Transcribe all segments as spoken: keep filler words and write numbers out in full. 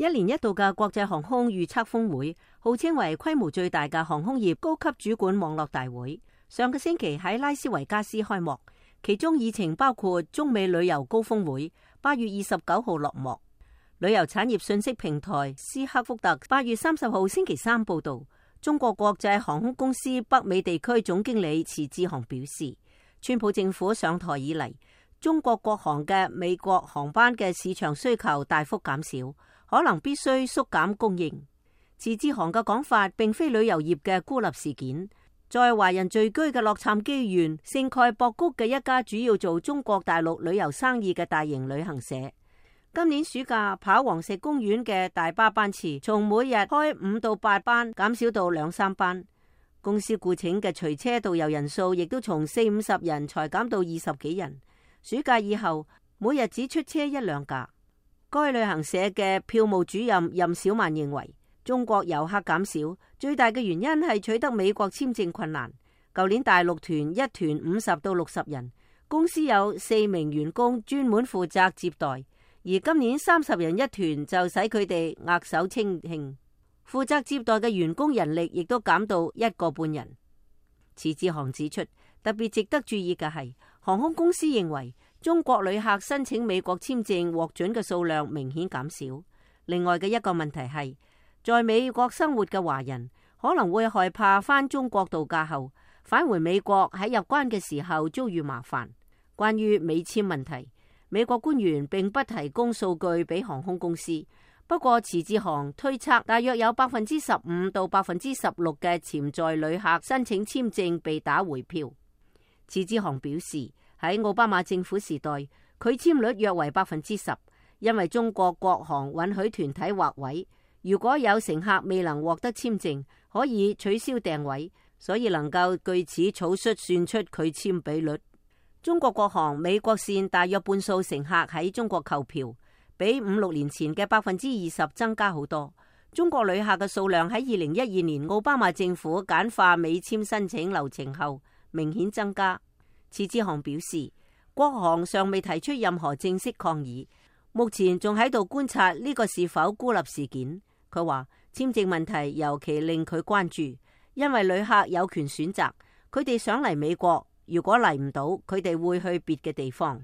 一年一度嘅國際航空預測峰會，號稱為規模最大嘅航空業高級主管網絡大會，上個星期喺拉斯維加斯開幕。其中議程包括中美旅遊高峰會，八月二十九號落幕。旅遊產業信息平台斯克福特八月三十號星期三報道，中國國際航空公司北美地區總經理遲志航表示，川普政府上台以嚟，中國國航嘅美國航班嘅市場需求大幅減少，可能必須縮減供應。遲志航嘅講法並非旅遊業嘅孤立事件，在華人聚居嘅洛杉磯縣聖蓋博谷嘅一家主要做中國大陸旅遊生意嘅大型旅行社，今年暑假跑黃石公園嘅大巴班次從每日開五到八班減少到兩三班，公司雇請嘅隨車導遊人數亦都從四五十人裁減到二十幾人。暑假以後，每日只出車一兩架。該旅行社嘅票務主任任小曼認為，中國遊客減少最大嘅原因係取得美國簽證困難。舊年大陸團一團五十到六十人，公司有四名員工專門負責接待，而今年三十人一團就使佢哋額手稱慶。負責接待嘅員工人力亦都減到一個半人。遲志航指出，特別值得注意嘅係，航空公司認為中國旅客申請美國簽證獲准嘅數量明顯減少。另外嘅一個問題係，在美國生活嘅華人可能會害怕返中國度假後返回美國喺入關嘅時候遭遇麻煩。關於美簽問題，美國官員並不提供數據俾航空公司。不過遲志航推測，大約有百分之十五到百分之十六嘅潛在旅客申請簽證被打回票。遲志航表示，喺奧巴馬政府時代，拒簽率約為百分之十，因為中國國航允許團體劃位，如果有乘客未能獲得簽證，可以取消訂位，所以能夠據此草率算出拒簽比率。中國國航美國線大約半數乘客喺中國購票，比五六年前嘅百分之二十增加好多。中國旅客嘅數量喺二零一二年奧巴馬政府簡化美簽申請流程後明顯增加。遲志航表示，國航尚未提出任何正式抗議，目前仲喺度觀察呢個是否孤立事件。佢話簽證問題尤其令佢關注，因為旅客有權選擇，佢哋想嚟美國，如果嚟唔到，佢哋會去別嘅地方。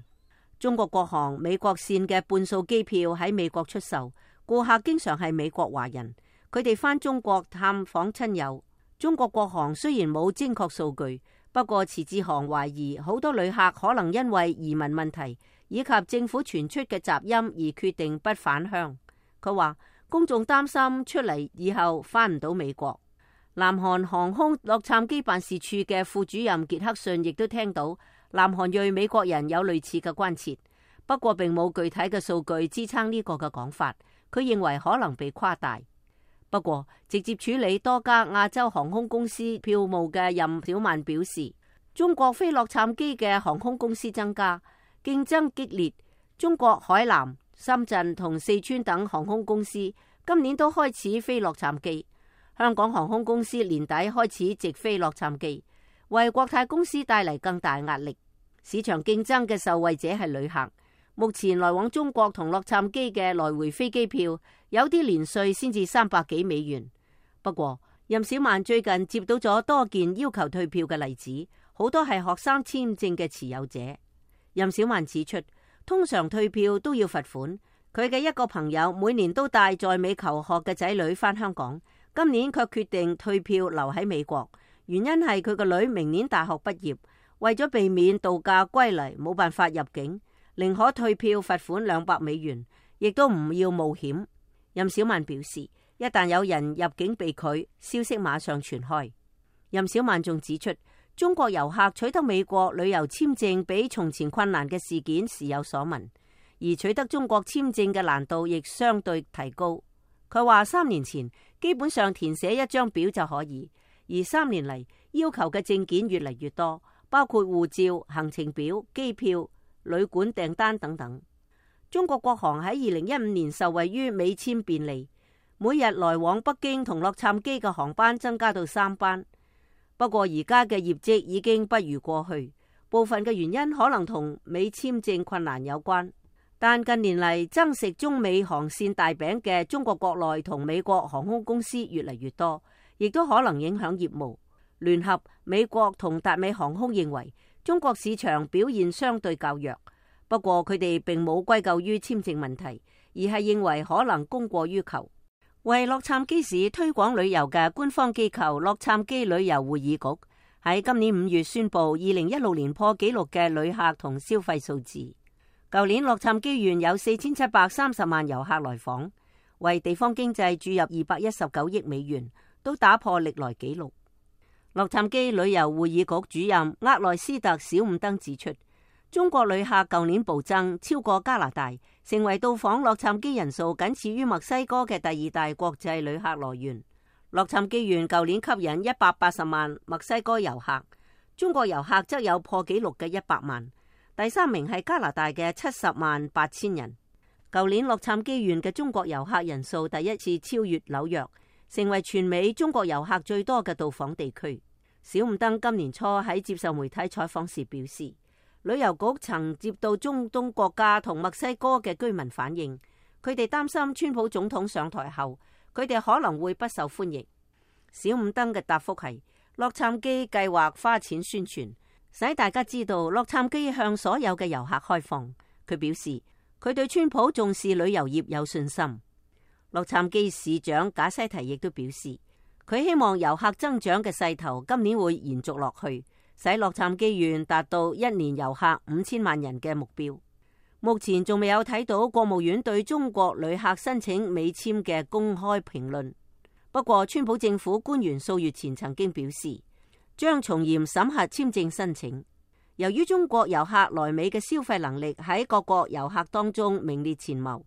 中國國航美國線嘅半數機票喺美國出售，顧客經常係美國華人，佢哋返中國探訪親友。中國國航雖然冇精確數據，不過遲志航懷疑好多旅客可能因為移民問題以及政府傳出嘅雜音而決定不返鄉。佢話公眾擔心出嚟以後返唔到美國。南韓航空洛杉磯辦事處嘅副主任傑克遜亦都聽到南韓裔美國人有類似嘅關切，不過並冇具體嘅數據支撐呢個嘅講法。佢認為可能被誇大。不過直接處理多家亞洲航空公司票務嘅任小曼表示，中國飛洛杉磯嘅航空公司增加，競爭激烈。中國海南、深圳同四川等航空公司今年都開始飛洛杉磯。香港航空公司年底開始直飛洛杉磯，為國泰公司帶嚟更大壓力。市場競爭嘅受惠者係旅客。目前來往中國同洛杉磯嘅來回飛機票有啲連稅先至三百幾美元。不過任小曼最近接到咗多件要求退票嘅例子，好多係學生簽證嘅持有者。任小曼指出，通常退票都要罰款。佢嘅一個朋友每年都帶在美求學嘅仔女返香港，今年卻決定退票留喺美國，原因係佢個女明年大學畢業，為咗避免度假歸嚟冇辦法入境，寧可退票罰款兩百美元，亦都唔要冒險。任小曼表示，一旦有人入境被拒，消息馬上傳開。任小曼仲指出，中國遊客取得美國旅遊簽證比從前困難嘅事件時有所聞，而取得中國簽證嘅難度亦相對提高。佢話三年前基本上填寫一張表就可以，而三年嚟要求嘅證件越嚟越多，包括護照、行程表、機票、旅館訂單等等。中國國航喺二零一五年受惠於美簽便利，每日來往北京同洛杉磯嘅航班增加到三班。不過而家嘅業績已經不如過去，部分嘅原因可能同美簽證困難有關。但近年嚟爭食中美航線大餅嘅中國國內同美國航空公司越嚟越多，亦都可能影響業務。聯合、美國同達美航空認為中國市場表現相對較弱，不過佢哋並冇歸咎於簽證問題，而係認為可能供過於求。為洛杉磯市推廣旅遊嘅官方機構洛杉磯旅遊會議局喺今年五月宣布二零一六年破紀錄嘅旅客同消費數字。舊年洛杉磯縣有四千七百三十萬遊客來訪，為地方經濟注入二百一十九億美元，都打破歷來紀錄。洛杉磯旅遊會議局主任厄內斯特小伍登指出，中國旅客舊年暴增，超過加拿大，成為到訪洛杉磯人數僅次於墨西哥嘅第二大國際旅客來源。洛杉磯縣舊年吸引一百八十萬墨西哥遊客，中國遊客則有破紀錄嘅一百萬。第三名係加拿大嘅七十萬八千人。舊年洛杉磯縣嘅中國遊客人數第一次超越紐約，成為全美中國遊客最多嘅到訪地區。小伍登今年初喺接受媒體採訪時表示，旅遊局曾接到中東國家同墨西哥嘅居民反映，佢哋擔心川普總統上台後，佢哋可能會不受歡迎。小伍登嘅答覆係，洛杉磯計劃花錢宣傳，使大家知道洛杉磯向所有嘅遊客開放。佢表示，佢對川普重視旅遊業有信心。洛杉磯市長賈西提亦都表示，佢希望遊客增長嘅勢頭今年會延續落去，使洛杉磯縣達到一年遊客五千萬人嘅目標。目前仲未有睇到國務院對中國旅客申請美簽嘅公開評論。不過，川普政府官員數月前曾經表示，將從嚴審核簽證申請。由於中國遊客來美嘅消費能力喺各國遊客當中名列前茅，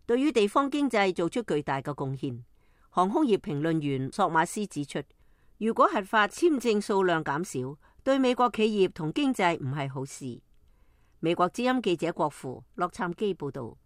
對於地方經濟做出巨大嘅貢獻。航空業評論員索馬斯指出，如果核發簽證數量減少，對美國企業同經濟唔係好事。美國之音記者郭芙洛杉磯報道。